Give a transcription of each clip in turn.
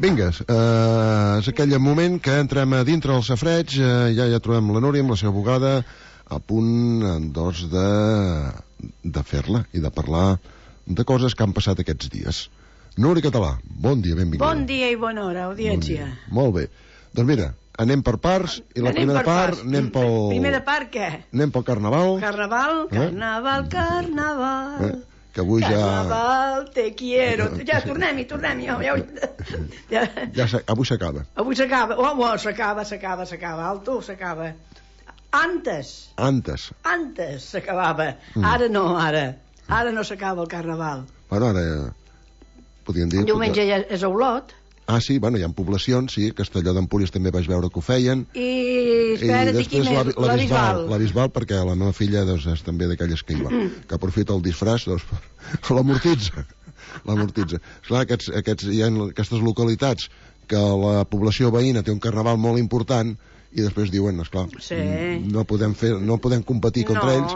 Vinga, és aquell moment que entrem a dintre del safreig, ja trobem la Núria amb la seva bugada a punt, doncs, de fer-la i de parlar de coses que han passat aquests dies. Núria Català, bon dia, benvinguda. Bon dia i bona hora, audiència. Molt bé. Doncs mira, anem per parts, i la primera part anem pel... Primera part, què? Anem pel Carnaval. Carnaval. Que avui Carnaval, te quiero. Ja, tornem-hi. Avui s'acaba. Avui s'acaba. S'acaba. Alto, s'acaba. Antes s'acabava. Ara no, Ara no s'acaba el Carnaval. Bueno, ara... podríem dir... Diumenge ja és a Olot. Ah, sí, bueno, hi ha poblacions, sí, Castelló d'Empúries també vaig veure que ho feien. I espera't, i quin és? La Bisbal. La Bisbal, perquè la meva filla doncs, és també d'aquelles que hi va, que aprofita el disfraç, doncs, l'amortitza. Esclar, hi ha aquestes localitats que la població veïna té un carnaval molt important i després diuen, esclar, sí. no podem competir contra ells,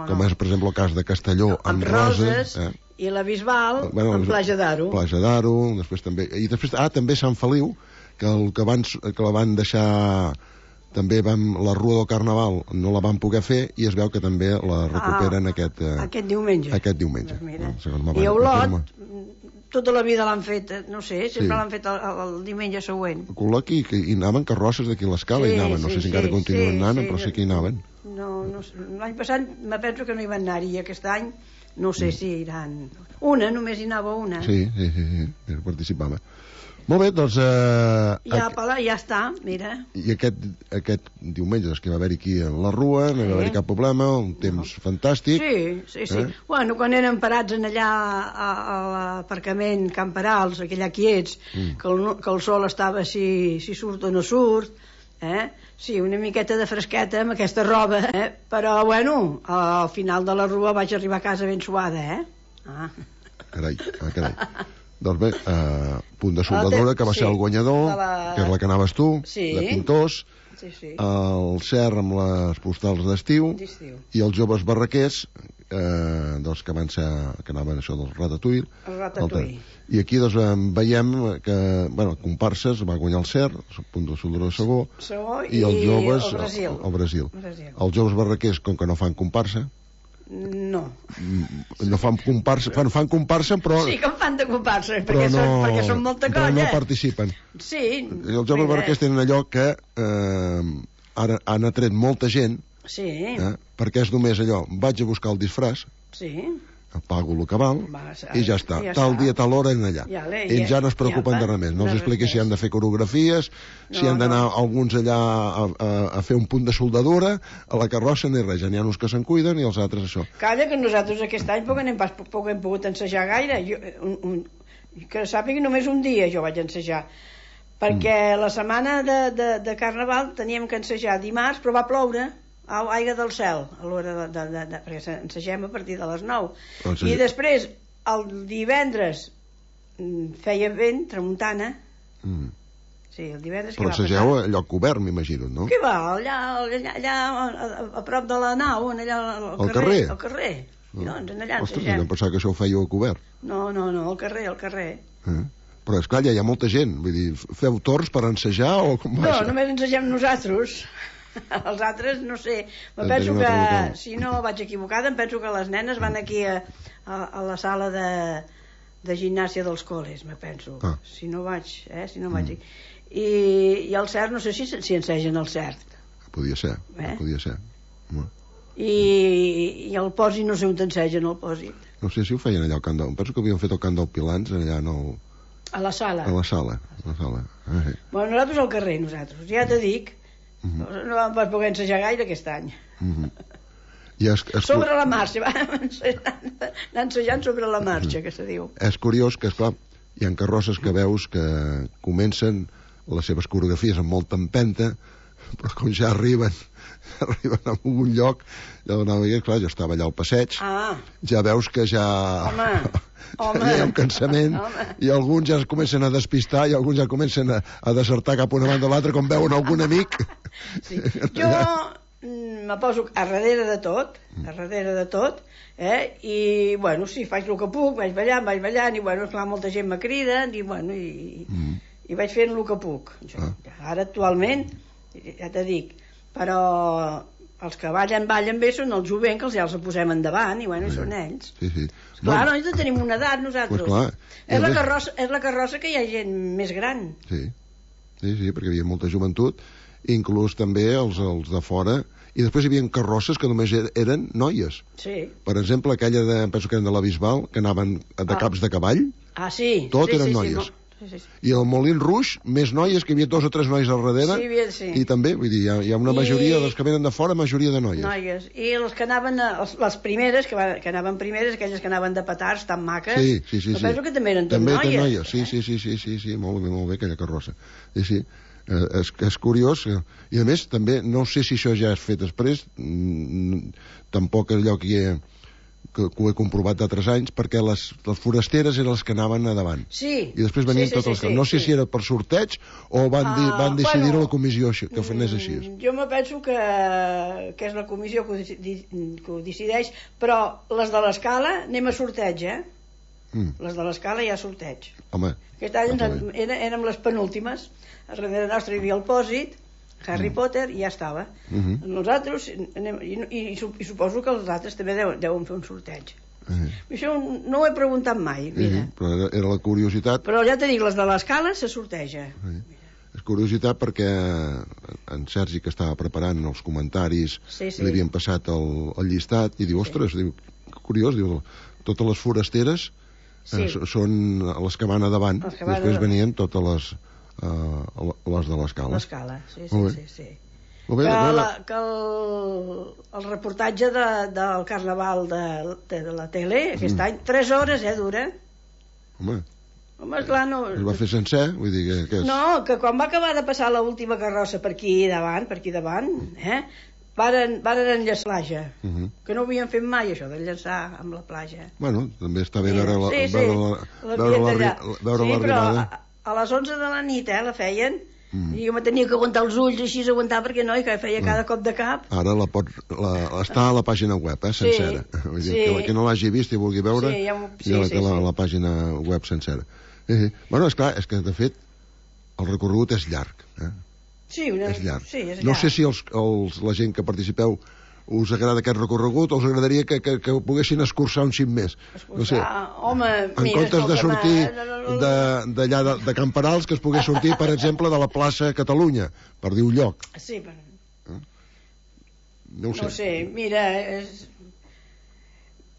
com és, per exemple, el cas de Castelló amb Roses, i la Bisbal amb Plaja d'Aro. Després també... I després, també Sant Feliu, que la van deixar... També la Rua del Carnaval no la van poder fer i es veu que també la recuperen aquest diumenge. Doncs mira. I a Olot, tota la vida l'han fet, no sé, sempre l'han fet el diumenge següent. Col·loqui, hi anaven carrosses d'aquí a l'escala, hi anaven, no sé si encara continuen anant, però sé que hi anaven. No sé. L'any passat me penso que no hi van anar-hi, i aquest any no sé si iran... Només hi anava una. Sí, participava. Molt bé, doncs... Ja està, mira. I aquest diumenge que va haver-hi aquí a la Rua, no va haver-hi cap problema, un temps fantàstic. Sí. Bueno, quan eren parats allà a l'aparcament Camp Perals, aquella quiets, que el sol estava si surt o no surt, sí, una miqueta de fresqueta amb aquesta roba, però, bueno, al final de la Rua vaig arribar a casa ben suada, Carai. Doncs bé, Punt de Soldadura, que va ser el guanyador, que és la que anaves tu, de Pintors, el Cer amb les postals d'estiu, i els joves barraquers, doncs que anaven això del Ratatouille. I aquí doncs veiem que, comparses, va guanyar el Cer, el Punt de Soldadura de Segó, i els joves al Brasil. Els joves barraquers, com que no fan comparsa, no fan comparsa, fan comparsa, però... Sí, com fan de comparsa, perquè són molta colla. Però no participen. Sí. Els joves barraquers tenen allò que ara han atret molta gent, perquè és només allò, vaig a buscar el disfraç, pago el que val, i ja està. Tal dia, tal hora, en allà. Ells ja no es preocupen de res més. No els expliquis si han de fer coreografies, si han d'anar alguns allà a fer un punt de soldadura, a la carrossa, ni res. Ja n'hi ha uns que se'n cuiden i els altres això. Calla, que nosaltres aquest any poc hem pogut ensejar gaire. Que sàpiga, només un dia jo vaig ensejar. Perquè la setmana de Carnaval teníem que ensejar dimarts, però va ploure. Aigua del cel, a l'hora perquè ensegem a partir de les 9. I després, el divendres, feia vent, tramuntana. Sí, el divendres... Però ensegeu a lloc obert, m'imagino, no? Què va? Allà a prop de la nau, allà al carrer. Al carrer. Doncs allà ensegem. Ostres, jo em pensava que això ho fèieu a cobert. No, al carrer. Però esclar, ja hi ha molta gent. Vull dir, feu torns per ensejar o com va? No, només ensegem nosaltres. Els altres, no sé, me penso que, si no vaig equivocada, em penso que les nenes van aquí a la sala de gimnàsia dels col·les, me penso. Si no vaig. I el cert, no sé si ensegen el cert. Podia ser. I el pòsit, no sé on t'ensegen el pòsit. No sé si ho feien allà al Camp del... Penso que havien fet el Camp del Pilans, allà no... A la sala. Bueno, nosaltres al carrer, ja te dic. No vam poder ensejar gaire aquest any. Sobre la marxa, vam ensejant sobre la marxa, que se diu. És curiós que, esclar, hi ha carrosses que veus que comencen les seves coreografies amb molta empenta, però com ja arriben a un lloc, clar, jo estava allà al passeig, ja veus que ja hi ha un cansament, i alguns ja es comencen a despistar i alguns ja comencen a desertar cap una banda o l'altra, com veuen algun amic. Jo me poso a darrere de tot, i, bueno, sí, faig el que puc, vaig ballant, i, bueno, esclar, molta gent me crida, i, bueno, i vaig fent el que puc. Ara actualment, ja t'he dit, però els que ballen bé són els jovents, que ja els posem endavant, i bueno, són ells. Clar, no tenim una edat, nosaltres. És la carrossa que hi ha gent més gran. Sí, perquè hi havia molta joventut, inclús també els de fora, i després hi havia carrosses que només eren noies. Per exemple, aquella penso que eren de la Bisbal, que anaven de caps de cavall, tot eren noies. I el Molin Rouge, més noies, que hi havia 2 o 3 noies al darrere, i també, vull dir, hi ha una majoria dels que venen de fora, majoria de noies. I les que anaven, les primeres, que anaven primeres, aquelles que anaven de petards tan maques, penso que també eren tot noies. Sí, molt bé, aquella carrossa. Sí. És curiós, i a més també no sé si això ja és fet després, tampoc allò que ho he comprovat d'altres anys, perquè les forasteres eren les que anaven a davant i després venien totes les que... No sé si era per sorteig o van decidir-ho a la comissió que anés així. Jo me penso que és la comissió que ho decideix, però les de l'escala anem a sorteig, les de l'escala hi ha sorteig. Aquest any érem les penúltimes. A darrere nostre hi havia el pòsit, Harry Potter, i ja estava. Nosaltres, i suposo que els altres també deuen fer un sorteig. Això no ho he preguntat mai, mira. Però era la curiositat. Però ja t'he dit, les de l'escala se sorteja. És curiositat perquè en Sergi, que estava preparant els comentaris, li havien passat el llistat, i diu, ostres, curiós, totes les forasteres són les que van a davant, després venien totes les de l'escala. L'escala, sí. Que el reportatge del Carnaval de la tele aquest any, 3 hores, dura. Home, clar, no... Es va fer sencer? Vull dir que no, que quan va acabar de passar l'última carrossa per aquí davant, varen enllaçar la platja, que no ho havien fet mai, això d'enllaçar amb la platja. Bueno, també està bé veure l'arribada. A les 11 de la nit, la feien, i jo me tenia que aguantar els ulls així, que no, i que feia cada cop de cap. Ara està a la pàgina web, sencera. Vull dir, que qui no l'hagi vist i vulgui veure, la pàgina web sencera. Bueno, esclar, és que de fet el recorregut és llarg. És llarg. No sé si la gent que participeu us agrada aquest recorregut o us agradaria que ho poguessin escurçar un xic més. No sé, en comptes de sortir d'allà de Camperals, que es pogués sortir, per exemple, de la plaça Catalunya, per dir un lloc. Sí, no ho sé, mira,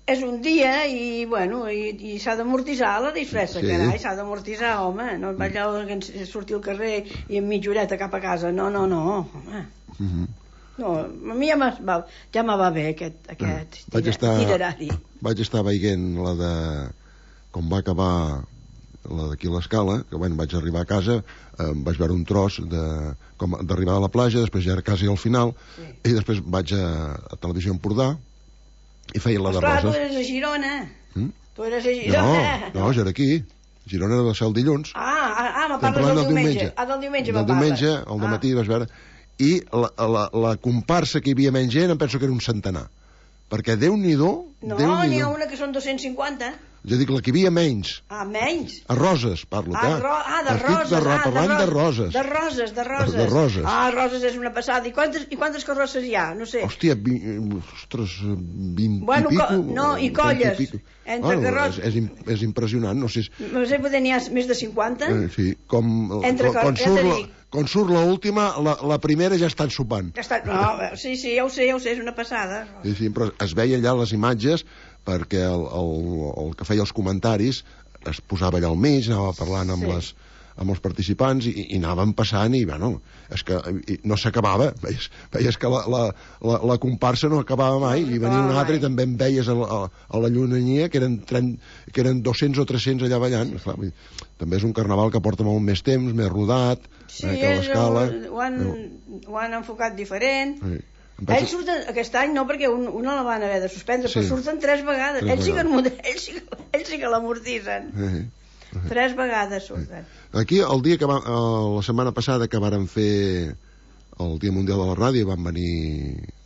és un dia i, bueno, i s'ha d'amortitzar la disfressa, carai, s'ha d'amortitzar, home, no et vaig sortir al carrer i amb mitja horeta cap a casa, no, home. No, a mi ja me va bé aquest itinerari. Vaig estar veient la de... com va acabar la d'aquí a l'Escala, que bueno, vaig arribar a casa, vaig veure un tros d'arribar a la platja, després ja era quasi al final, i després vaig a Televisió Empordà i feia la de Roses. Tu eres a Girona. Tu eres a Girona. No, jo era aquí. Girona era de ser el dilluns. Me parles del diumenge. Del diumenge me parles. Del diumenge, al dematí, vas veure... I la comparsa que hi havia menys gent em penso que era un centenar, perquè Déu-n'hi-do... No, n'hi ha una que són 250. Jo dic, la que hi havia menys. Menys? A Roses, parlo, de Roses. Parlant de Roses. De Roses. Roses és una passada. I quantes carrosses hi ha? No sé. Hòstia, 20 i pico. No, i colles. Entre carrosses. És impressionant, no sé... No sé, potser n'hi ha més de 50? Sí, quan surt l'última, la primera ja estan sopant. Sí, ja ho sé, és una passada. Sí, però es veia allà les imatges, perquè el que feia els comentaris es posava allà al mig, anava parlant amb els participants i anaven passant i, bueno, és que no s'acabava. Veies que la comparsa no acabava mai, i venia una altra i també en veies a la llunyania que eren 200 o 300 allà ballant. També és un carnaval que porta molt més temps, més rodat, que l'Escala. Ho han enfocat diferent. Ells surten aquest any, no, perquè una la van haver de suspendre, però surten 3 vegades. Ells sí que l'amortitzen. 3 vegades surten. Aquí, el dia que la setmana passada que varen fer el Dia Mundial de la Ràdio van venir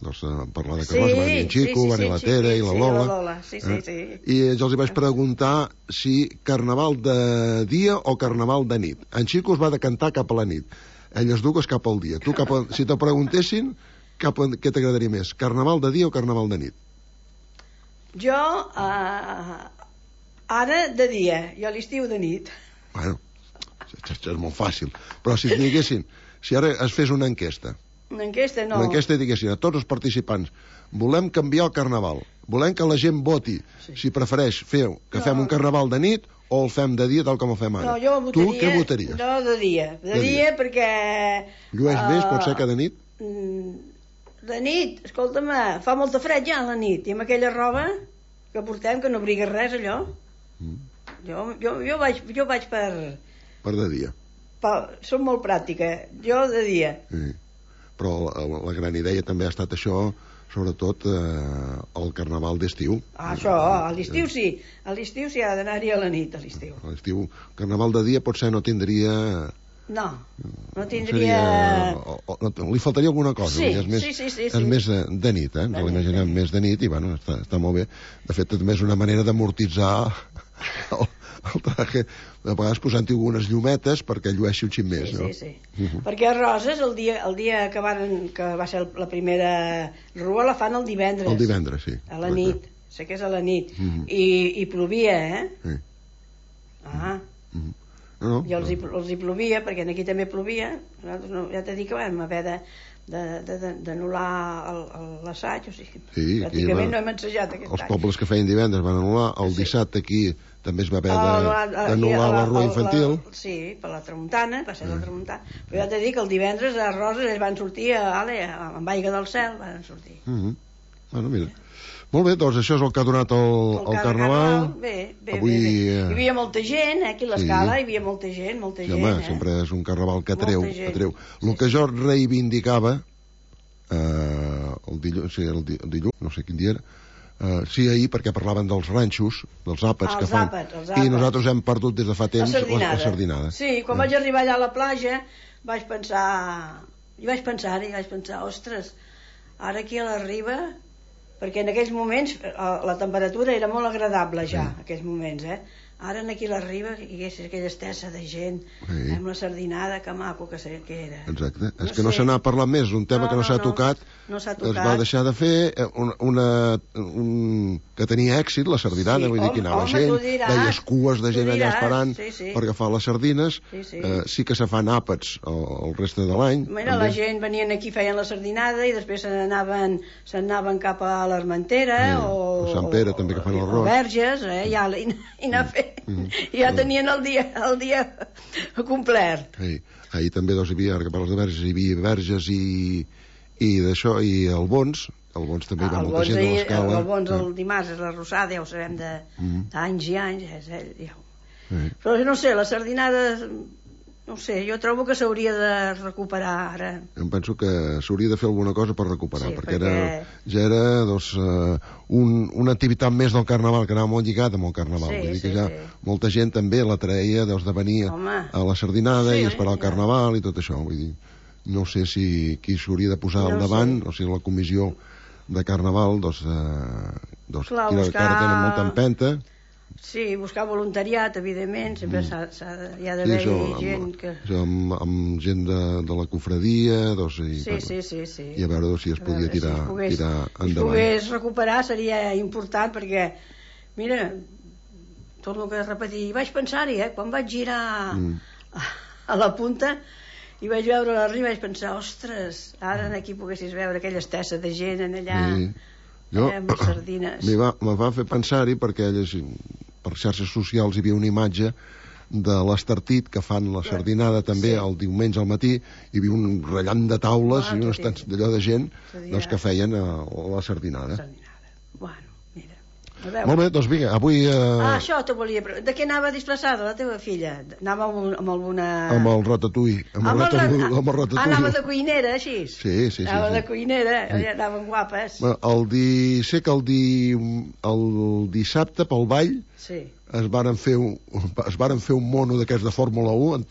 a parlar de Carròs, va venir en Xico, va venir la Tere i la Lola. I jo els vaig preguntar si carnaval de dia o carnaval de nit. En Xico es va decantar cap a la nit, elles dues cap al dia. Tu, si te preguntessin, què t'agradaria més, carnaval de dia o carnaval de nit? Jo, ara de dia, i a l'estiu de nit. Bueno, és molt fàcil. Però si et diguessin, si ara es fes una enquesta. Una enquesta, no. Una enquesta i diguessin a tots els participants, volem canviar el carnaval, volem que la gent voti si prefereix fem un carnaval de nit o el fem de dia tal com el fem ara. No, jo votaria... Tu què votaries? No, de dia. De dia perquè... Llueix més, pot ser que de nit? De nit, escolta'm, fa molta fred ja a la nit, i amb aquella roba que portem, que no abriga res, allò. Jo vaig per... Per de dia. Soc molt pràctica, jo de dia. Sí. Però la gran idea també ha estat això, sobretot el carnaval d'estiu. Això, a l'estiu sí. A l'estiu sí ha d'anar-hi a la nit, a l'estiu. A l'estiu, carnaval de dia potser no tindria... No tindria... Li faltaria alguna cosa. Sí. És més de nit, ens l'imaginem més de nit i bueno, està molt bé. De fet, també és una manera d'amortitzar el traje, a vegades posant-hi algunes llumetes perquè llueixi un xic més, no? Sí. Perquè a Roses, el dia que va ser la primera rua, la fan el divendres. El divendres, sí. A la nit, sé que és a la nit. I plovia, Sí. I els hi plovia, perquè aquí també plovia. Nosaltres, ja t'he dit que vam haver d'anul·lar l'assaig, o sigui, pràcticament no hem ensajat aquest any. Els pobles que feien divendres van anul·lar, el dissabte aquí també es va haver d'anul·lar la rua infantil. Sí, per la tramuntana, va ser la tramuntana. Però ja t'he dit que el divendres a Roses ells van sortir amb aigua del cel, van sortir. Bueno, mira. Molt bé, doncs això és el que ha donat el Carnaval. Bé. Hi havia molta gent, aquí a l'escala hi havia molta gent. Sí, home, sempre és un Carnaval que atreu. El que jo reivindicava el dilluns, no sé quin dia era, sí, ahir, perquè parlaven dels ranxos, dels àpats que fan, i nosaltres hem perdut des de fa temps la sardinada. Sí, quan vaig arribar allà a la platja vaig pensar, ostres, ara aquí a la riba, perquè en aquells moments la temperatura era molt agradable ja, en aquells moments, ara aquí a la riba hi hagués aquella estessa de gent amb la sardinada, que maco que era. Exacte, és que no se n'ha parlat més, un tema que no s'ha tocat, es va deixar de fer que tenia èxit la sardinada, vull dir que anava gent, veies cues de gent allà esperant per agafar les sardines, sí que se fan àpats el reste de l'any. La gent venien aquí, feien la sardinada i després se'n anaven cap a l'Armentera o Sant Pere també, que fan l'arròs, o Verges, i anar fent, i ja tenien el dia complet. Ahir també hi havia, ara que parles de Verges, hi havia Verges i d'això, i Albons també hi va molta gent de l'escala. Albons el dimarts és la Rosada, ja ho sabem d'anys i anys, és ell. Però no sé, la sardinada, no sé, jo trobo que s'hauria de recuperar ara. Em penso que s'hauria de fer alguna cosa per recuperar, perquè ja era una activitat més del Carnaval, que anava molt lligada amb el Carnaval. Vull dir que ja molta gent també la traia de venir a la sardinada i esperar el Carnaval i tot això. Vull dir, no sé si qui s'hauria de posar al davant, o sigui, la comissió de Carnaval, que ara tenen molta empenta. Sí, buscar voluntariat, evidentment, sempre hi ha d'haver gent que... Amb gent de la cofradia, i a veure si es podia tirar endavant. Si es pogués recuperar seria important, perquè, mira, torno a repetir, vaig pensar-hi, quan vaig girar a la punta i vaig veure la riba, vaig pensar, ostres, ara aquí poguessis veure aquella estessa de gent allà... amb les sardines. Me va fer pensar-hi perquè per xarxes socials hi havia una imatge de l'Estartit que fan la sardinada també el diumenge al matí, hi havia un rellant de taules i uns tants d'allò de gent que feien la sardinada. Bueno, mira. Molt bé, doncs vinga, avui... Això t'ho volia... De què anava disfressada la teva filla? Anava amb alguna... Amb el ratatouille. Amb el ratatouille. Anava de cuinera, així? Sí. Anava de cuinera, anaven guapes. Sé que el dissabte, pel ball, es varen fer un mono d'aquests de Fórmula 1 en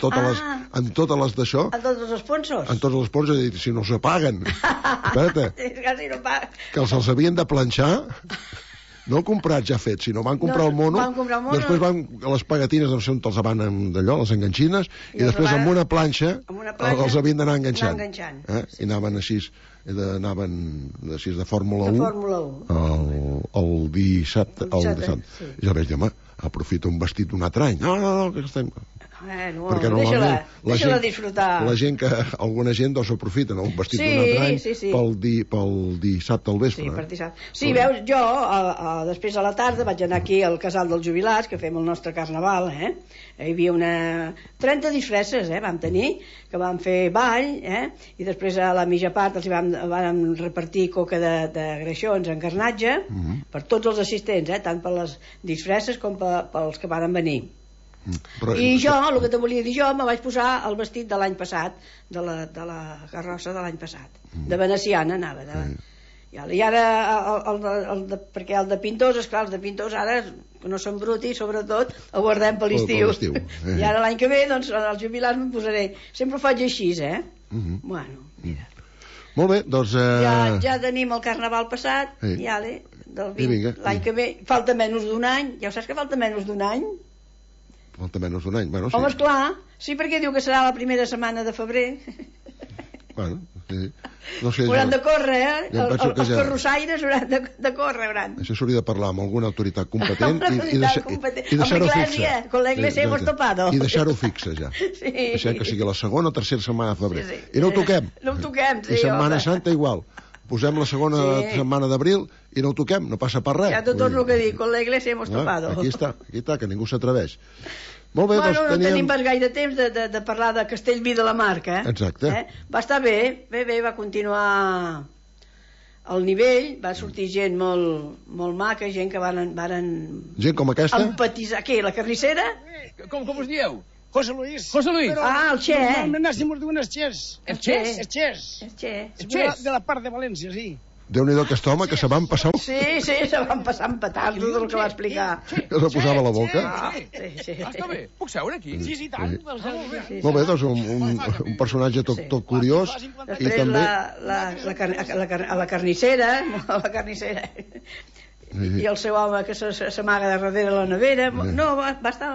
totes les d'això. En tots els sponsors? En tots els sponsors, si no se paguen. Espera't, que els havien de planxar. No comprat ja fet, sinó van comprar el mono, després van a les pegatines, no sé on els van d'allò, les enganxines, i després amb una planxa els havien d'anar enganxant. I anaven així, de Fórmula 1 el dissabte. I ja vaig dir, home, aprofita un vestit d'un altre any. No, que estem... perquè deixa-la disfrutar. Alguna gent doncs s'aprofita, un vestit d'un altre any pel dissabte al vespre. Sí, veus, jo després a la tarda vaig anar aquí al Casal dels Jubilats, que fem el nostre carnaval, hi havia 30 disfresses vam tenir, que vam fer ball, i després a la mitja part els vam repartir coca de greixons en carnatge per tots els assistents, tant per les disfresses com pels que van venir. I jo, el que te volia dir, jo me vaig posar el vestit de l'any passat, de la carrossa de l'any passat, de veneciana anava. I ara, perquè el de pintors, esclar, els de pintors ara, que no són brutis, sobretot, el guardem per l'estiu. I ara l'any que ve, doncs, als jubilats me'n posaré. Sempre ho faig així, Bueno, mira. Molt bé, doncs... Ja tenim el carnaval passat, l'any que ve, falta menys d'un any, ja ho saps que falta menys d'un any? Falta menys d'un any, bueno, sí. Home, esclar, sí, perquè diu que serà la primera setmana de febrer. Bueno, sí. No sé, hauran de córrer, els carrossaires hauran de córrer, Això s'hauria de parlar amb alguna autoritat competent i deixar-ho fixe. Con la iglesia hemos topado. I deixar-ho fixe, ja. Deixar que sigui la segona o tercera setmana de febrer. I no ho toquem. No ho toquem, sí. I Setmana Santa igual. Posem la segona setmana d'abril i no ho toquem, no passa per res. Ja tot el que dic, con la iglesia hemos topado. Aquí està, que ningú s'atreveix. Molt bé, bueno, no tenim pas gaire temps de parlar de Castellví de la Marca. Exacte. Va estar bé, va continuar al nivell, va sortir gent molt maca, gent que varen gent com aquesta? Empatitzar. Què, la carnissera? Com us dieu? José Luis. El Che. Nos diuen els Ches. Els Ches? Els Ches. De la part de València, sí. Déu-n'hi-do aquest home que se van passar... Sí, se van passar empatats, tot el que va explicar. Que se posava a la boca. Sí. Està bé. Puc seure aquí? Sí, tant. Molt bé, doncs un personatge tot curiós. Després la carnissera, i el seu home que s'amaga de darrere la nevera. No, va estar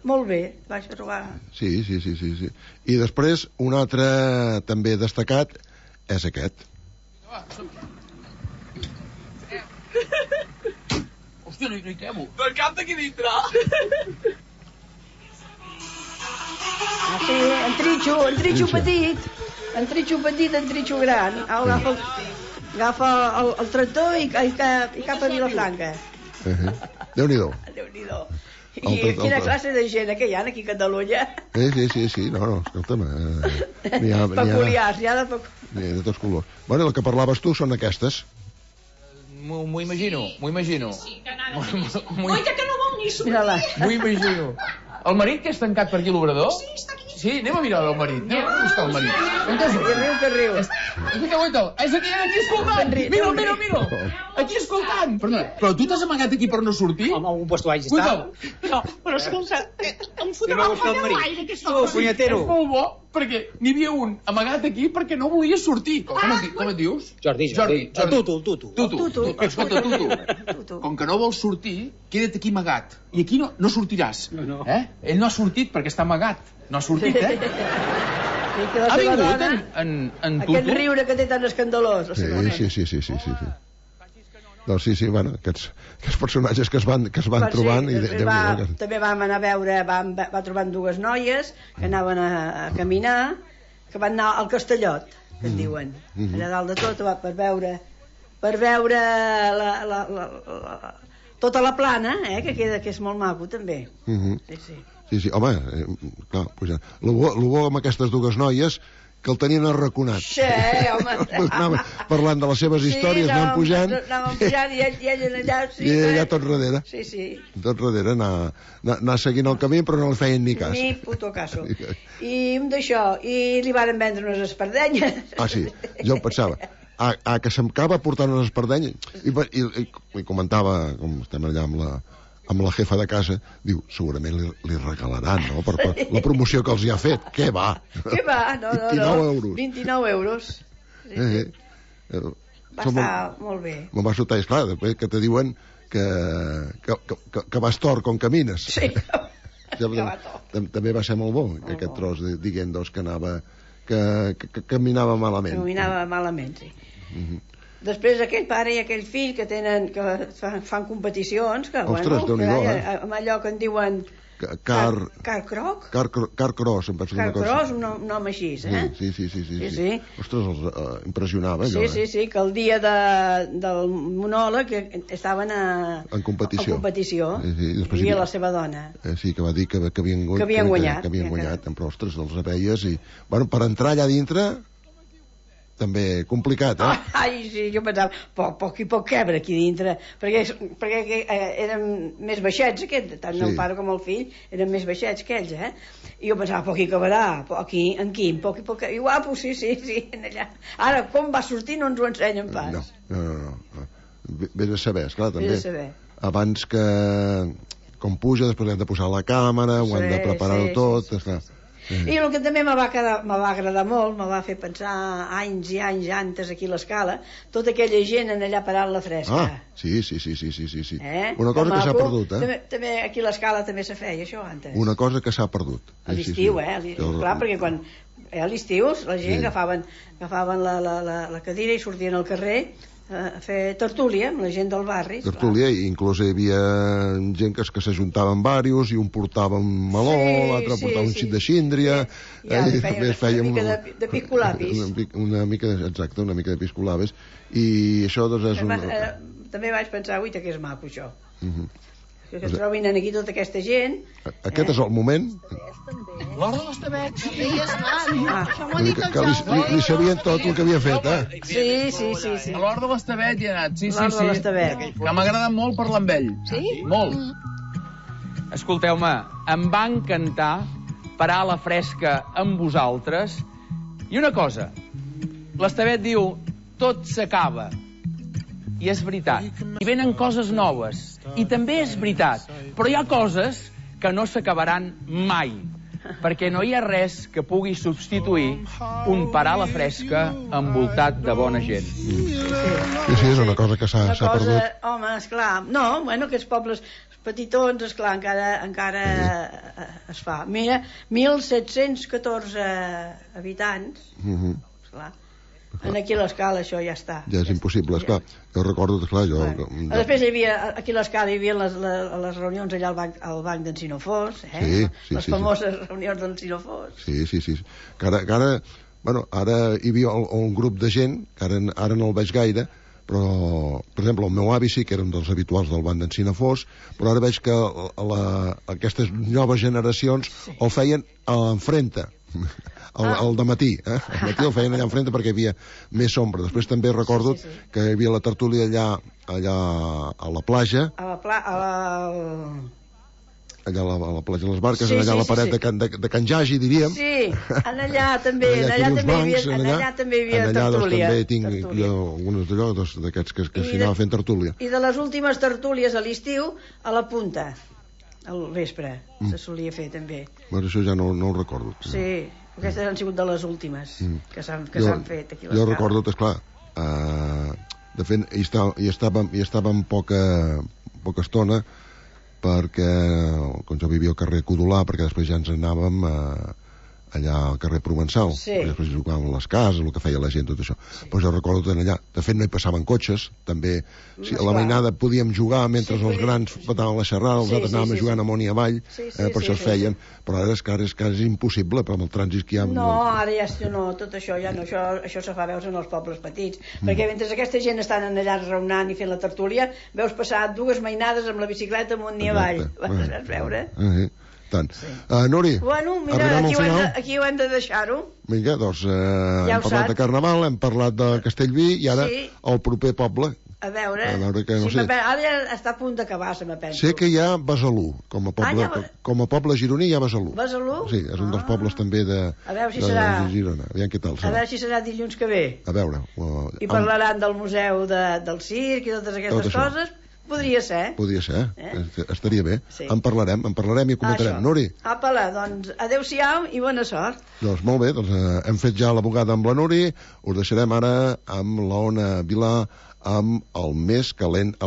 molt bé, vaig trobar. Sí. I després, un altre també destacat és aquest. Hòstia, no hi quebo. Del cap d'aquí dintre. Sí, en tritxo petit, en tritxo gran. Agafa el tractor i cap a Vilafranca. Déu-n'hi-do. I quina classe de gent que hi ha aquí a Catalunya? Sí, no, escolta'm. Peculiars, hi ha de tots colors. Bueno, el que parlaves tu són aquestes. M'ho imagino. Sí, que anava oi, que no vol ni sortir. M'ho imagino. El marit que és tancat per aquí a l'obrador? Sí, està aquí. Sí, anem a mirar el marit. Anem a buscar el marit. Que riu. És aquí escoltant. Mira. Aquí escoltant. Però tu t'has amagat aquí per no sortir? Home, algun puesto vaig estar. No, però escolta, em fotrà el aire aquesta cosa. Punyetero. És molt bo, perquè n'hi havia un amagat aquí perquè no volia sortir. Com et dius? Jordi. Tutu. Escolta, Tutu. Com que no vols sortir, queda't aquí amagat. I aquí no sortiràs. No. Ell no ha sortit perquè està amagat. No ha sortit, Ha vingut en Tutu? Aquest riure que té tan escandalós. Sí. Doncs sí, bueno, aquests personatges que es van trobant... També vam anar a veure, va trobant dues noies que anaven a caminar, que van anar al Castellot, que en diuen, allà dalt de tot, per veure tota la plana, que queda, que és molt maco també. Sí, home, clar, el bo amb aquestes dues noies que el tenien arraconat. Sí, home. Anaven parlant de les seves històries, anaven pujant. Anàvem pujant i ell allà... I ell allà tot darrere. Sí. Tot darrere, anar seguint el camí, però no li feien ni cas. Ni puto caso. I d'això, i li varen vendre unes espardenyes. Ah, sí, jo pensava... que s'acaba portant unes espardenyes i comentava, com estem allà amb la jefa de casa, diu, segurament li regalaran, no?, per la promoció que els hi ha fet. Què va? Què va? No. 29 euros. 29 euros. Sí. Va estar molt bé. Me'n va sortar, esclar, després que te diuen que vas tort com camines. Sí, també va ser molt bo, aquest tros dient que anava... que caminava malament. Caminava malament, sí. Després aquell pare i aquell fill que fan competicions, que ostres, bueno, amb allò que en diuen Carcross, em penso una cosa. Carcross, un nom així, eh? Sí. Ostres, els impressionava allò. Sí, que el dia del monòleg estaven en competició. Hi havia la seva dona. Sí, que va dir que havien guanyat. Però, ostres, els aveies i... Bueno, per entrar allà dintre... també complicat, eh? Ai, sí, jo pensava, poc quebre aquí dintre, perquè eren més baixets, tant el pare com el fill eren més baixets que ells, eh? I jo pensava, poc hi cabrà, en quin, poc, i guapo, sí, en allà. Ara, com va sortir no ens ho ensenyen pas. No. Vés a saber, esclar, també. Abans que, com puja, després hem de posar la càmera, ho hem de preparar tot, esclar. I el que també me va agradar molt, me va fer pensar anys i anys antes aquí a l'escala, tota aquella gent en allà parant la fresca. Sí. Una cosa que s'ha perdut, eh? També aquí a l'escala també se feia això antes. Una cosa que s'ha perdut. A l'estiu, clar, perquè quan a l'estiu la gent agafaven la cadira i sortien al carrer a fer tertúlia amb la gent del barri. Tertúlia, i inclús hi havia gent que s'ajuntaven diversos i un portava un meló, l'altre portava un xic de síndria, i fèiem una mica de piscolabis. Una mica de piscolabis, i això doncs és també vaig pensar, ui, que és maco això, que es trobin aquí tota aquesta gent. Aquest és el moment. L'hora de les tabets. Que li sabien tot el que havia fet, eh? Sí. A l'hora de les tabets hi ha anat, sí. Que m'ha agradat molt parlar amb ell. Sí? Molt. Escolteu-me, em va encantar parar a la fresca amb vosaltres. I una cosa, l'Estevet diu, tot s'acaba. I és veritat. I venen coses noves. I també és veritat. Però hi ha coses que no s'acabaran mai. Perquè no hi ha res que pugui substituir un parar a la fresca envoltat de bona gent. Sí, és una cosa que s'ha perdut. Home, esclar. No, bueno, aquests pobles petitons, esclar, encara es fa. Mira, 1.714 habitants, esclar. Aquí a l'escala això ja està. Ja és impossible, esclar. Jo recordo, esclar, Després hi havia, aquí a l'escala hi havia les reunions allà al banc d'en Sinofós, les famoses reunions d'en Sinofós. Sí. Que ara, bueno, ara hi havia un grup de gent, que ara no el veig gaire, però, per exemple, el meu avi sí que era un dels habituals del banc d'en Sinofós, però ara veig que aquestes noves generacions el feien a l'enfrenta. El dematí, el matí el feien allà enfrente perquè hi havia més ombra. Després també recordo que hi havia la tertúlia allà a la platja, allà a la platja de les Barques, allà a la paret de Can Jagi, diríem. Sí, allà també hi havia tertúlia. Allà també tinc algunes d'allò d'aquests que s'hi anava fent tertúlia. I de les últimes tertúlies a l'estiu, a la punta, al vespre, se solia fer també. Bueno, això ja no ho recordo. Sí, aquestes han sigut de les últimes que s'han fet aquí a l'escala. Jo recordo, esclar, de fet hi estàvem poca estona, perquè quan jo vivia al carrer Codolà, perquè després ja ens anàvem allà al carrer Provençal, després jugàvem a les cases, el que feia la gent, tot això. Però jo recordo tant allà, de fet no hi passaven cotxes, també a la mainada podíem jugar mentre els grans petaven la xerrada, els altres anàvem jugant amunt i avall, per això es feien, però ara és que és impossible, però amb el trànsit que hi ha... No, ara ja no, tot això ja no, això se fa veus en els pobles petits, perquè mentre aquesta gent estan allà raonant i fent la tertúlia, veus passar dues mainades amb la bicicleta amunt i avall, vas veure? Tant. Nuri, bueno, mira, arribem al final. Aquí ho hem de deixar-ho. Vinga, doncs hem parlat de Carnaval, hem parlat de Castellví i ara el proper poble. A veure que no sé. Ara ja està a punt d'acabar, se me penso. Sé que hi ha Besalú, com a poble gironí hi ha Besalú. Besalú? Sí, és un dels pobles també de Girona. Aviam què tal serà. A veure si serà dilluns que ve. A veure. I parlaran del museu del circ i totes aquestes coses. Podria ser. Podria ser, estaria bé. En parlarem i comentarem. Nuri. Apa-la, doncs adeu-siau i bona sort. Doncs molt bé, hem fet ja la bugada amb la Nuri, us deixarem ara amb l'Ona Vilà amb el més calent a la